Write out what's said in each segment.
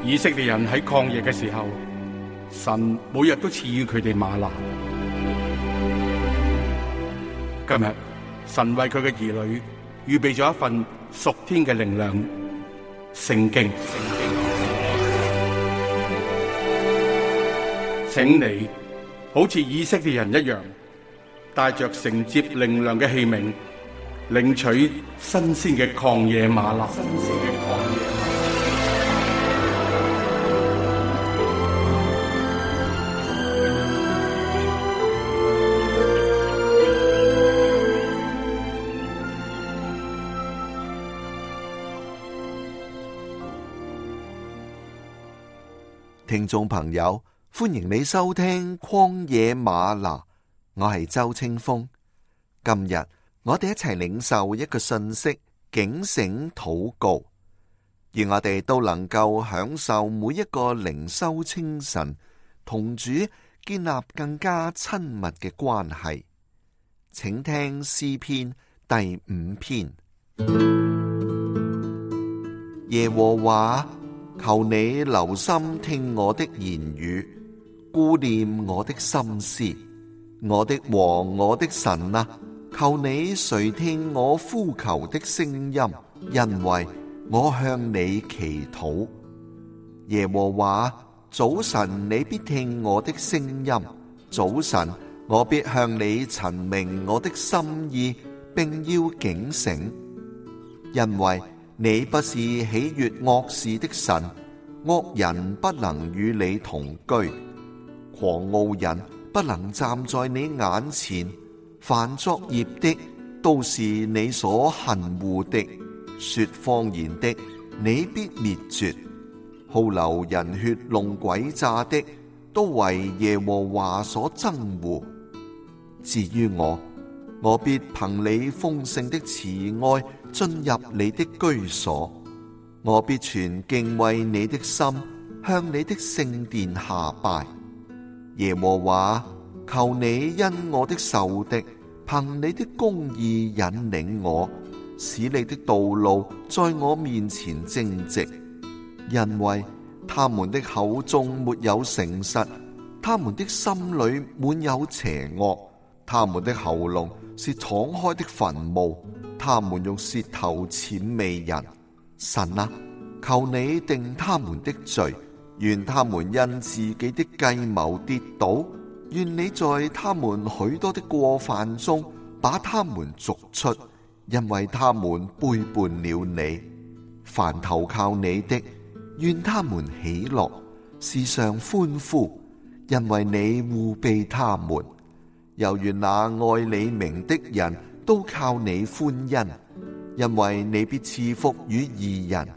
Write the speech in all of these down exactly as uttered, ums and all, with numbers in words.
以色列人喺曠野嘅時候，神每日都賜予佢哋嗎哪。今日神為佢嘅兒女預備咗一份屬天嘅靈糧——聖經。請你好似以色列人一樣，帶着承接靈糧嘅器皿，領取新鮮嘅曠野嗎哪。聽眾朋友，歡迎你收聽曠野嗎哪，我係周清風。今日我哋一齊領受一個信息，警醒禱告，願我哋都能夠享受每一個靈修清晨，同主建立更加親密嘅關係。請聽詩篇第五篇。耶和華，求你留心聽我的言語，顧念我的心思。我的王，我的神啊，求你垂聽我呼求的聲音，因為我向你祈禱。耶和華，早晨你必聽我的聲音，早晨我必向你陳明我的心意，並要警醒，因為你不是喜悅惡事的神，惡人不能與你同居，狂傲人不能站在你眼前，凡作孽的都是你所恨惡的，說謊言的你必滅絕，好流人血弄詭詐的都為耶和華所憎惡。至於我，我必憑你豐盛的慈愛進入你的居所，我必存敬畏你的心，向你的聖殿下拜。耶和華，求你因我的仇敵，憑你的公義引領我，使你的道路在我面前正直，因為他們的口中沒有誠實，他們的心裡滿有邪惡，他們的喉嚨是敞開的墳墓，他們用舌頭諂媚人。神啊，求你定他們的罪，願他們因自己的計謀跌倒，願你在他們許多的過犯中把他們逐出，因為他們背叛了你。凡投靠你的，願他們喜樂，時常歡呼，因為你護庇他們。又願那愛你名的人都靠你歡欣，因為你必賜福與義人。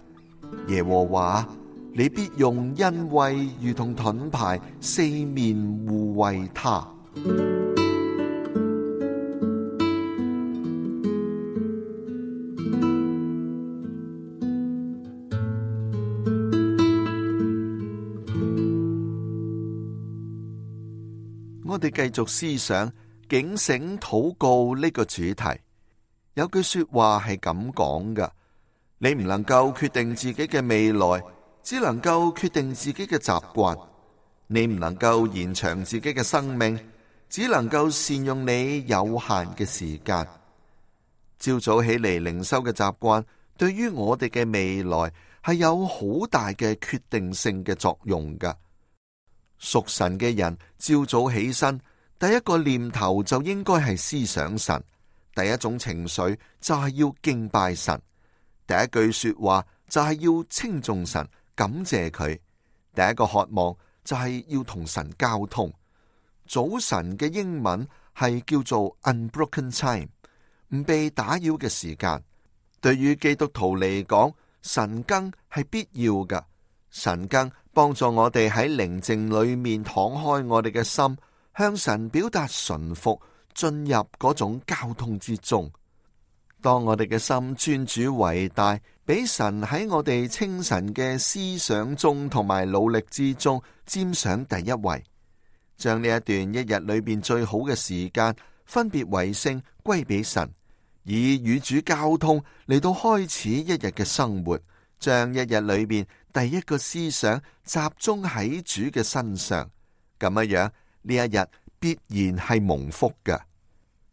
耶和華，你必用恩惠如同盾牌四面護衛他。我哋繼續思想警醒禱告呢個主題。有句說話係咁講㗎：你唔能夠決定自己嘅未來，只能夠決定自己嘅習慣；你唔能夠延長自己嘅生命，只能夠善用你有限嘅時間。朝早起嚟靈修嘅習慣，對於我哋嘅未來係有好大嘅決定性嘅作用㗎。屬神嘅人朝早起身，第一個念頭就應該係思想神，第一種情緒就係要敬拜神，第一句說話就係要稱頌神，感謝佢，第一個渴望就係要同神交通。早晨嘅英文係叫做 unbroken time， 唔被打擾嘅時間。對於基督徒嚟講，晨更係必要㗎。晨更幫助我哋喺寧靜裏面敞開我哋嘅心，向神表達順服，進入嗰種交通之中。當我哋嘅心尊主為大，俾神喺我哋清晨嘅思想中同埋努力之中佔上第一位，將呢一段一日裏邊最好嘅時間分別為聖歸俾神，以與主交通嚟到開始一日嘅生活，將一日裏邊第一個思想集中喺主嘅身上，咁樣樣呢一日必然係蒙福嘅。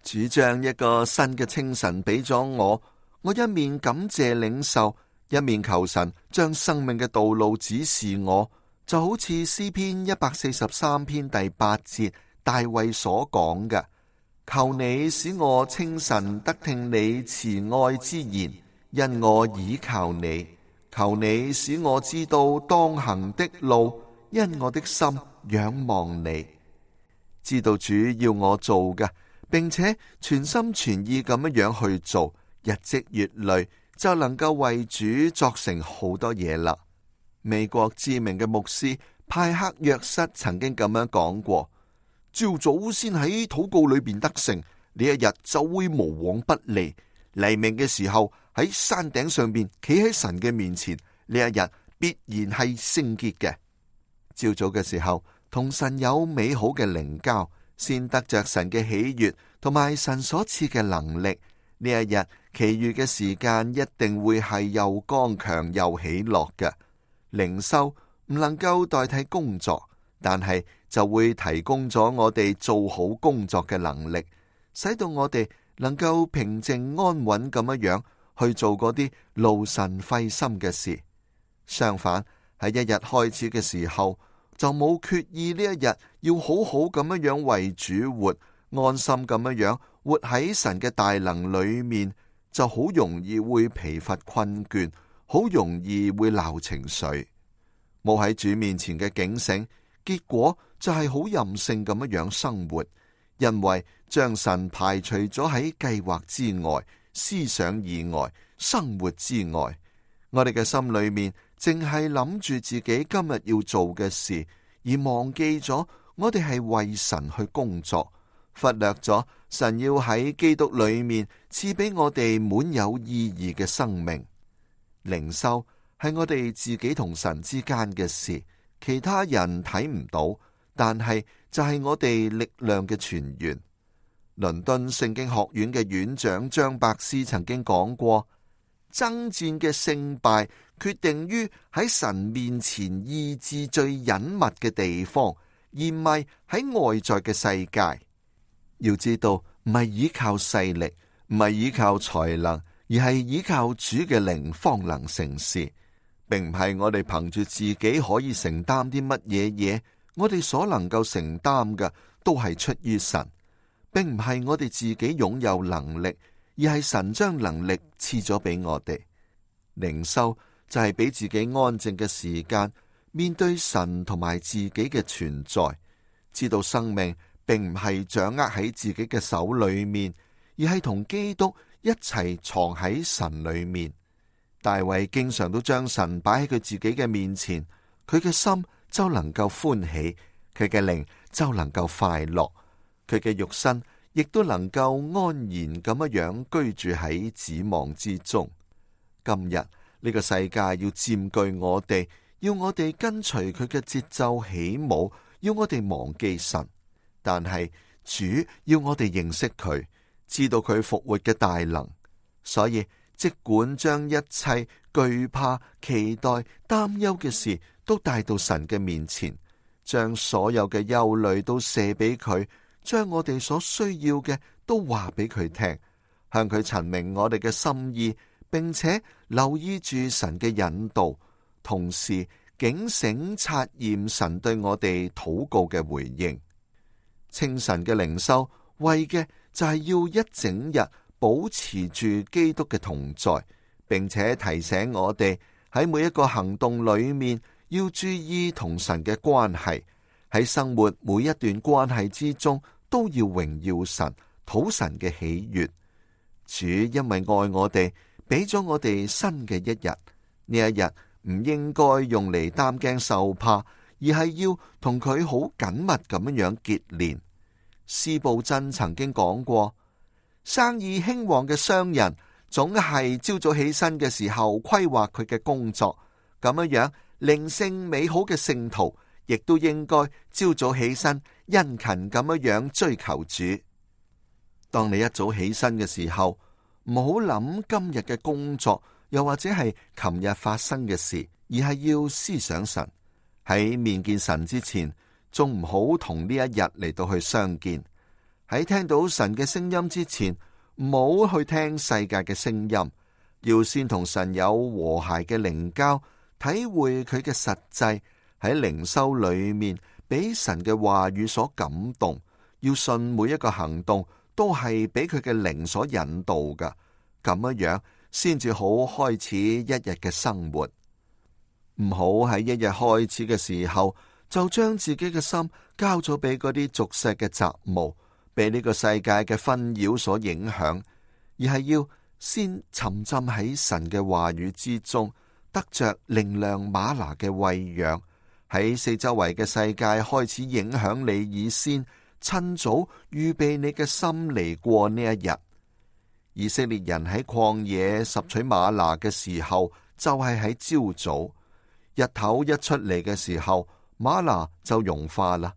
主將一個新嘅清晨俾咗我，我一面感謝領受，一面求神將生命嘅道路指示我，就好似詩篇一百四十三篇第八節大衛所講嘅：求你使我清晨得聽你慈愛之言，因我倚靠你；求你使我知道當行的路，因我的心仰望你。知道主要我做嘅，並且全心全意咁樣樣去做，日積月累就能夠為主作成好多嘢啦。美國知名嘅牧師派克約瑟曾經咁樣講過：朝早先喺禱告裏邊得勝，呢一日就會無往不利。黎明嘅時候喺山頂上邊企喺神嘅面前，呢一日必然係聖潔嘅。朝早嘅時候同神有美好嘅靈交，先得着神嘅喜悅同埋神所賜嘅能力。呢一日其餘嘅時間一定會係又剛強又喜樂嘅。靈修唔能夠代替工作，但係就會提供咗我哋做好工作嘅能力，使到我哋能夠平靜安穩咁樣樣去做嗰啲勞神費心嘅事。相反，喺一日開始嘅時候就冇決意呢一日要好好咁樣樣為主活，安心咁樣樣活喺神嘅大能裏面，就好容易會疲乏困倦，好容易會鬧情緒，冇喺主面前嘅警醒，結果就係好任性咁樣樣生活，因為將神排除咗喺計劃之外、思想以外、生活之外。我哋嘅心裏面淨係諗住自己今日要做嘅事，而忘記咗我哋係為神去工作，忽略咗神要喺基督裏面賜俾我哋滿有意義嘅生命。靈修係我哋自己同神之間嘅事，其他人睇唔到，但係就係我哋力量嘅泉源。倫敦聖經學院嘅院長張伯斯曾經講過：爭戰嘅勝敗決定於喺神面前意志最隱密嘅地方，而唔係喺外在嘅世界。要知道，唔係依靠勢力，唔係依靠才能，而係依靠主嘅靈方能成事，並唔係我哋憑住自己可以承擔啲乜嘢嘢。我哋所能夠承擔嘅都係出於神，並唔係我哋自己擁有能力，而係神將能力賜咗俾我哋。靈修就係俾自己安靜嘅時間，面對神同埋自己嘅存在，知道生命並唔係掌握喺自己嘅手裏面，而係同基督一齊藏喺神裏面。大衛經常都將神擺喺佢自己嘅面前，佢嘅心就能夠歡喜，佢嘅靈就能夠快樂，佢嘅肉身亦都能夠安然咁樣居住喺指望之中。今日呢個世界要佔據我哋，要我哋跟隨佢嘅節奏起舞，要我哋忘記神。但係主要我哋認識佢，知道佢復活嘅大能，所以即管將一切懼怕、期待、擔憂嘅事都帶到神嘅面前，將所有嘅憂慮都卸俾佢，將我哋所需要嘅都話俾佢聽，向佢陳明我哋嘅心意，並且留意住神嘅引導，同時警醒察驗神對我哋禱告嘅回應。清晨嘅靈修為嘅就係要一整日保持住基督嘅同在，並且提醒我哋喺每一個行動裏面要注意同神嘅關係，喺生活每一段關係之中都要榮耀神，討神嘅喜悅。主因為愛我哋，俾咗我哋新嘅一日，呢一日唔應該用嚟擔驚受怕，而係要同佢好緊密咁樣結連。司布真曾經講過，生意興旺嘅商人總係朝早起身嘅時候規劃佢嘅工作，咁樣樣靈性美好嘅聖徒亦都應該朝早起身殷勤咁樣樣追求主。當你一早起身嘅時候，唔好諗今日嘅工作，又或者係琴日發生嘅事，而係要思想神。喺面見神之前，仲唔好同呢一日嚟到去相見。喺聽到神嘅聲音之前，唔好去聽世界嘅聲音，要先同神有和諧嘅靈交，體會佢嘅實際，喺靈修裏面俾神嘅話語所感動，要信每一個行動都係俾佢嘅靈所引導㗎，咁樣樣先至好開始一日嘅生活。唔好喺一日開始嘅時候就將自己嘅心交咗俾嗰啲俗世嘅雜務，被呢個世界嘅紛擾所影響，而係要先沉浸喺神嘅話語之中，得着靈糧嗎哪嘅餵養，喺四周圍嘅世界開始影響你以先，趁早預備你嘅心嚟過呢一日。以色列人喺曠野拾取嗎哪嘅時候，就係喺朝早，日頭一出嚟嘅時候，嗎哪就融化啦。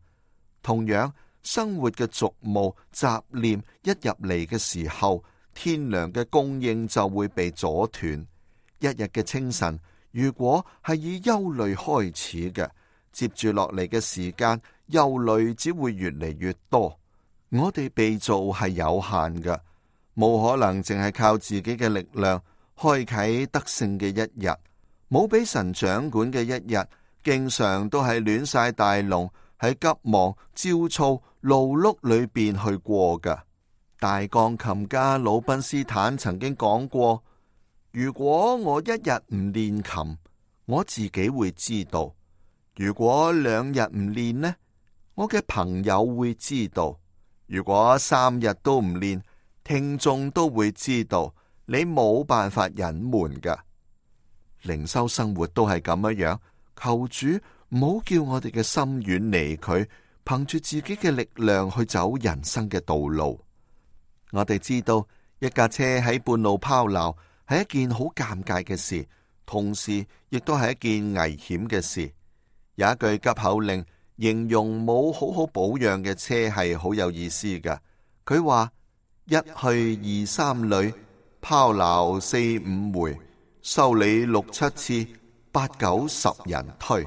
同樣，生活嘅俗務雜念一入嚟嘅時候，天糧嘅供應就會被阻斷。一日嘅清晨，如果係以憂慮開始嘅，接住落嚟嘅時間，憂慮只會越嚟越多。我哋被造係有限嘅，冇可能淨係靠自己嘅力量開啟得勝嘅一日。冇俾神掌管嘅一日，經常都係亂晒大龍，喺急忙焦躁勞碌裏邊去過㗎。大鋼琴家魯賓斯坦曾經講過，如果我一日唔練琴，我自己會知道；如果兩日唔練呢，我嘅朋友會知道；如果三日都唔練，聽眾都會知道。你冇辦法隱瞞㗎。靈修生活都係咁樣樣，求主唔好叫我哋嘅心遠離佢，憑住自己嘅力量去走人生嘅道路。我哋知道一架車喺半路拋錨係一件好尷尬嘅事，同時亦都係一件危險嘅事。有一句急口令形容冇好好保養嘅車係好有意思㗎。佢話一去二三里，拋錨四五回，修理六七次，八九十人推。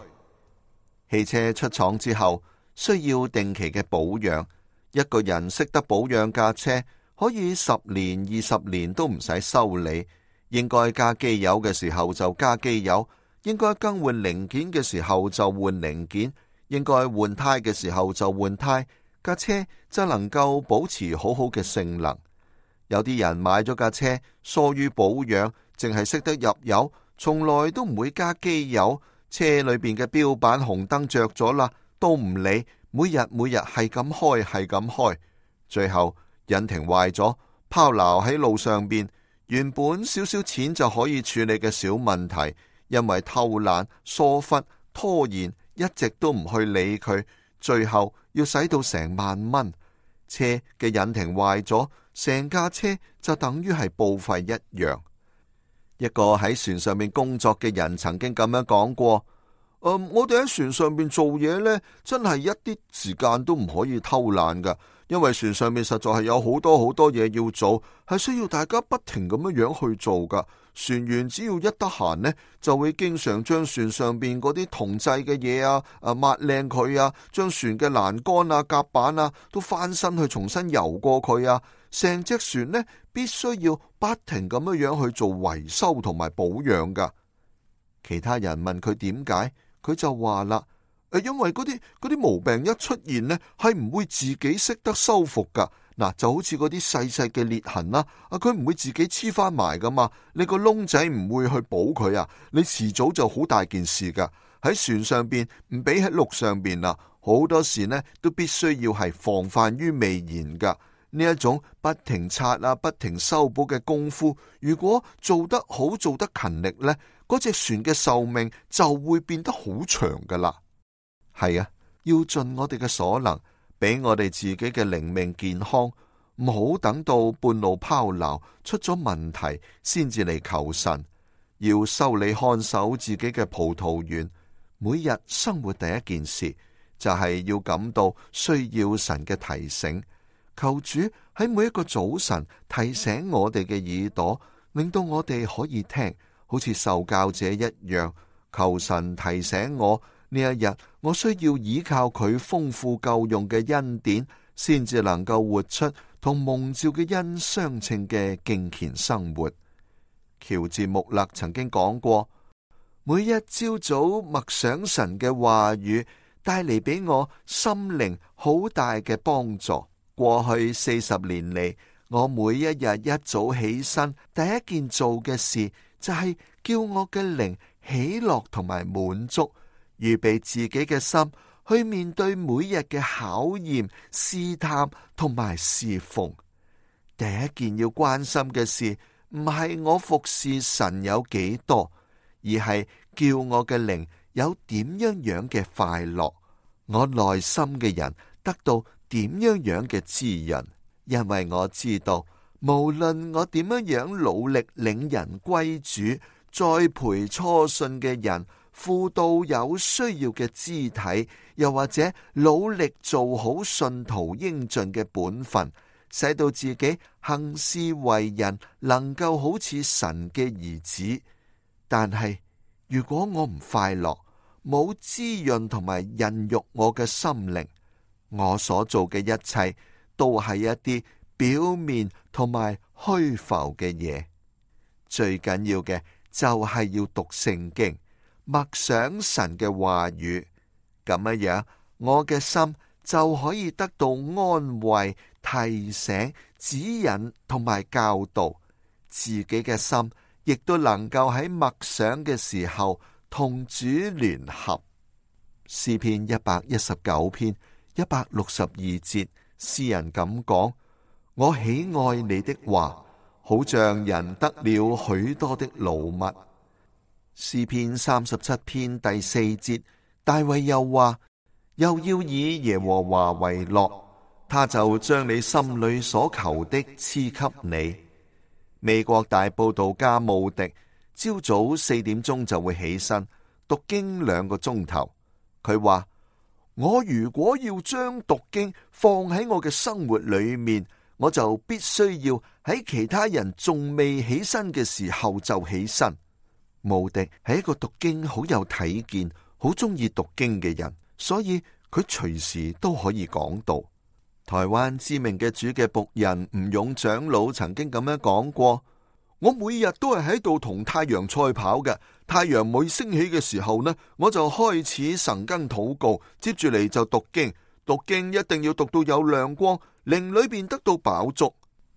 汽車出廠之後需要定期嘅保養，一個人識得保養架車，可以十年二十年都唔使修理。應該加機油嘅時候就加機油，應該更換零件嘅時候就換零件，應該換胎嘅時候就換胎，架車就能夠保持好好嘅性能。有啲人買咗架車，疏於保養，淨係識得入油，從來都唔會加機油。車裏邊嘅標板紅燈着咗啦，都唔理，每日每日係咁開係咁開，最後引擎壞咗，拋錨喺路上邊，原本少少錢就可以處理嘅小問題，因為偷懶、疏忽、拖延，一直都唔去理佢，最後要使到成萬蚊。車嘅引擎壞咗，成架車就等於係報廢一樣。一個喺船上面工作嘅人曾經咁樣講過：嗯，我哋喺船上面做嘢呢，真係一啲時間都唔可以偷懶噶，因為船上面實在係有好多好多嘢要做，係需要大家不停咁樣樣去做噶。船員只要一得閒呢，就會經常將船上邊嗰啲銅製嘅嘢啊，啊抹靚佢啊，將船嘅欄杆啊、甲板啊都翻身去重新油過佢啊。成隻船呢，必須要不停咁樣樣去做維修同埋保養噶。其他人問佢點解，佢就話啦：誒，因為嗰啲嗰啲毛病一出現呢，係唔會自己識得修復噶。嗱，就好似嗰啲細細嘅裂痕啦，啊，佢唔會自己黐翻埋噶嘛。你個窿仔唔會去補佢啊，你遲早就好大件事噶。喺船上邊唔比喺陸上邊啦，好多時呢都必須要係防範於未然噶。呢一種不停擦啊、不停修補嘅功夫，如果做得好、做得勤力呢，嗰隻船嘅壽命就會變得好長噶啦。係啊，要盡我哋嘅所能，俾我哋自己嘅靈命健康，唔好等到半路拋錨出咗問題先至嚟求神。要修理看守自己嘅葡萄園，每日生活第一件事就係要感到需要神嘅提醒。求主喺每一個早晨提醒我哋嘅耳朵，令到我哋可以聽，好似受教者一樣。求神提醒我，呢一日我需要依靠佢豐富夠用嘅恩典，先至能夠活出同蒙召嘅恩相稱嘅敬虔生活。喬治穆勒曾經講過，每一朝早默想神嘅話語，帶嚟俾我心靈好大嘅幫助。過去四十年嚟，我每一日一早起身，第一件做嘅事就係叫我嘅靈喜樂同埋滿足，預備自己嘅心去面對每日嘅考驗、試探同埋侍奉。第一件要關心嘅事，唔係我服侍神有幾多，而係叫我嘅靈有點樣樣嘅快樂，我內心嘅人得到點樣樣嘅滋潤。因為我知道，無論我點樣樣努力領人歸主，栽培初信嘅人，輔導有需要嘅肢體，又或者努力做好信徒應盡嘅本分，使到自己行事為人能夠好似神嘅兒子。但係如果我唔快樂，冇滋潤同埋孕育我嘅心靈，我所做嘅一切都係一啲表面同埋虛浮嘅嘢。最緊要嘅就係要讀聖經，默想神嘅話語，咁樣樣我嘅心就可以得到安慰、提醒、指引同埋教導，自己嘅心亦都能夠喺默想嘅時候同主聯合。詩篇一百一十九篇一百六十二節，詩人咁講：我喜愛你的話，好像人得了許多的擄物。詩篇三十七篇第四節，大衛又話：又要以耶和華為樂，他就將你心裏所求的賜給你。美國大佈道家慕迪朝早四點鐘就會起身讀經兩個鐘頭。佢話：我如果要將讀經放喺我嘅生活裏面，我就必須要喺其他人仲未起身嘅時候就起身。慕迪係一個讀經好有體見、好中意讀經嘅人，所以佢隨時都可以講道。台灣知名嘅主嘅僕人吳勇長老曾經咁樣講過：我每日都係喺度同太陽賽跑嘅，太陽每升起嘅時候呢，我就開始晨更禱告，接住嚟就讀經，讀經一定要讀到有亮光，靈裏邊得到飽足。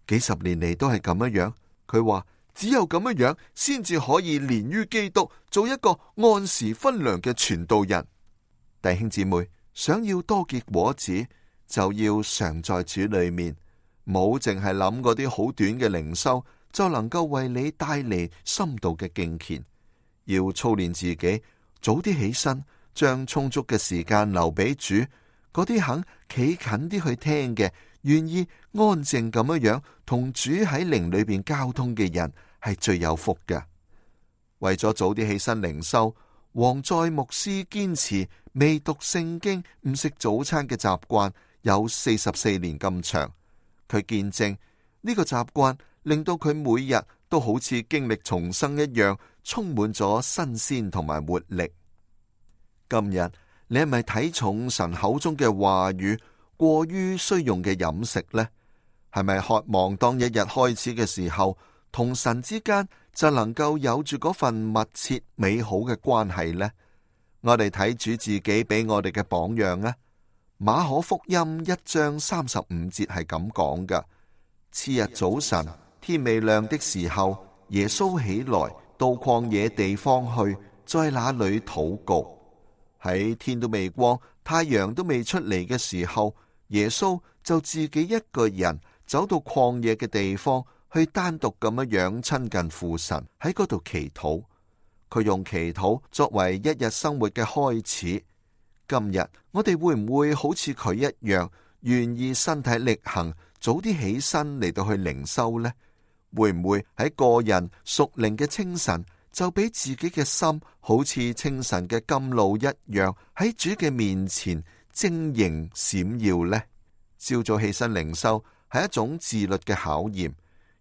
幾十年嚟都係咁樣樣。佢話只有咁樣樣，先至可以連於基督，做一個按時分糧嘅傳道人。弟兄姊妹，想要多結果子，就要常在主裏面，冇淨係諗嗰啲好短嘅靈修，就能夠為你帶嚟深度嘅敬虔。要操練自己，早啲起身，將充足嘅時間留俾主。嗰啲肯企近啲去聽嘅，願意安靜咁樣樣同主喺靈裏邊交通嘅人，係最有福嘅。為咗早啲起身靈修，王在牧師堅持未讀聖經、唔食早餐嘅習慣有四十四年咁長。佢見證呢個習慣令到佢每日都好似經歷重生一樣，充滿咗新鮮同埋活力。今日你係咪睇重神口中嘅話語，過於需用嘅飲食呢？係咪渴望當一日開始嘅時候，同神之間就能夠有住嗰份密切美好嘅關係呢？我哋睇主自己俾我哋嘅榜樣啊！馬可福音一章三十五節係咁講㗎：次日早晨，天未亮的時候，耶穌起來到曠野地方去，在那裏禱告。喺天都未光、太陽都未出嚟嘅時候，耶穌就自己一個人走到曠野嘅地方，去單獨咁樣樣親近父神，喺嗰度祈禱。佢用祈禱作為一日生活嘅開始。今日我哋會唔會好似佢一樣，願意身體力行，早啲起身嚟到去靈修呢？會唔會喺個人屬靈嘅清晨，就俾自己嘅心好似清晨嘅甘露一樣，喺主嘅面前晶瑩閃耀呢？朝早起身靈修係一種自律嘅考驗。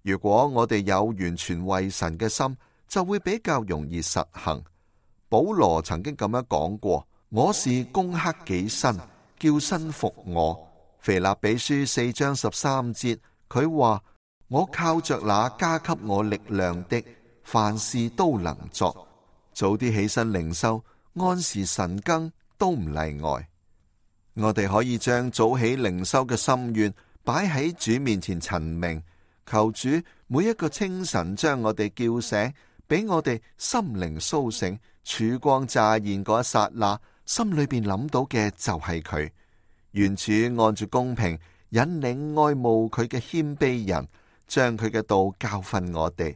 如果我哋有完全為神嘅心，就會比較容易實行。保羅曾經咁樣講過：我是攻克己身，叫身服我。腓立比書四章十三節，佢話：我靠着那加給我力量的，凡事都能作。早啲起身靈修，按時晨更都唔例外。我哋可以將早起靈修嘅心願擺喺主面前陳明，求主每一個清晨將我哋叫醒，俾我哋心靈蘇醒，曙光乍現嗰一剎那，心裏邊諗到嘅就係佢。願主按住公平引領愛慕佢嘅謙卑人，將佢嘅道教訓我哋。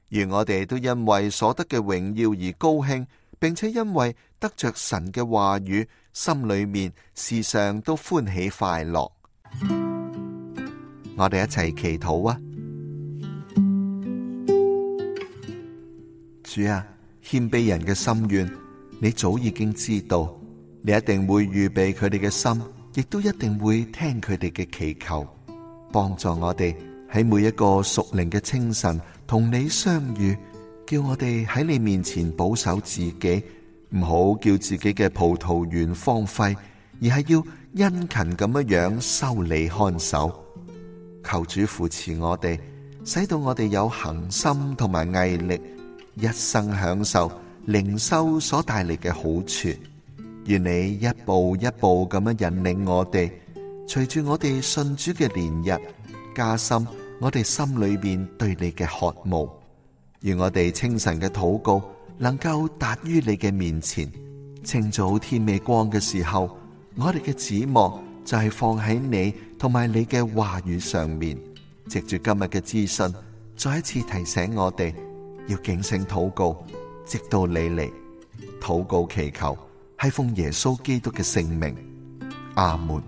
願我哋都因為所得嘅榮耀而高興，並且因為得着神嘅話語，心裏面時常都歡喜快樂。我哋一齊祈禱啊！主啊，謙卑人嘅心願，你早已經知道，你一定會預備佢哋嘅心，亦都一定會聽佢哋嘅祈求，幫助我哋喺每一個屬靈嘅清晨同你相遇，叫我哋喺你面前保守自己，唔好叫自己嘅葡萄園荒廢，而係要殷勤咁樣樣修理看守。求主扶持我哋，使到我哋有恆心同埋毅力，一生享受靈修所帶嚟嘅好處。願你一步一步咁樣引領我哋，隨住我哋信主嘅年日，加深我哋心裏邊對你嘅渴慕。願我哋清晨嘅禱告能夠達於你嘅面前。清早天未光嘅時候，我哋嘅指望就係放喺你同埋你嘅話語上面。藉住今日嘅資訊，再一次提醒我哋要警醒禱告，直到你嚟。禱告祈求係奉耶穌基督嘅聖名，阿門。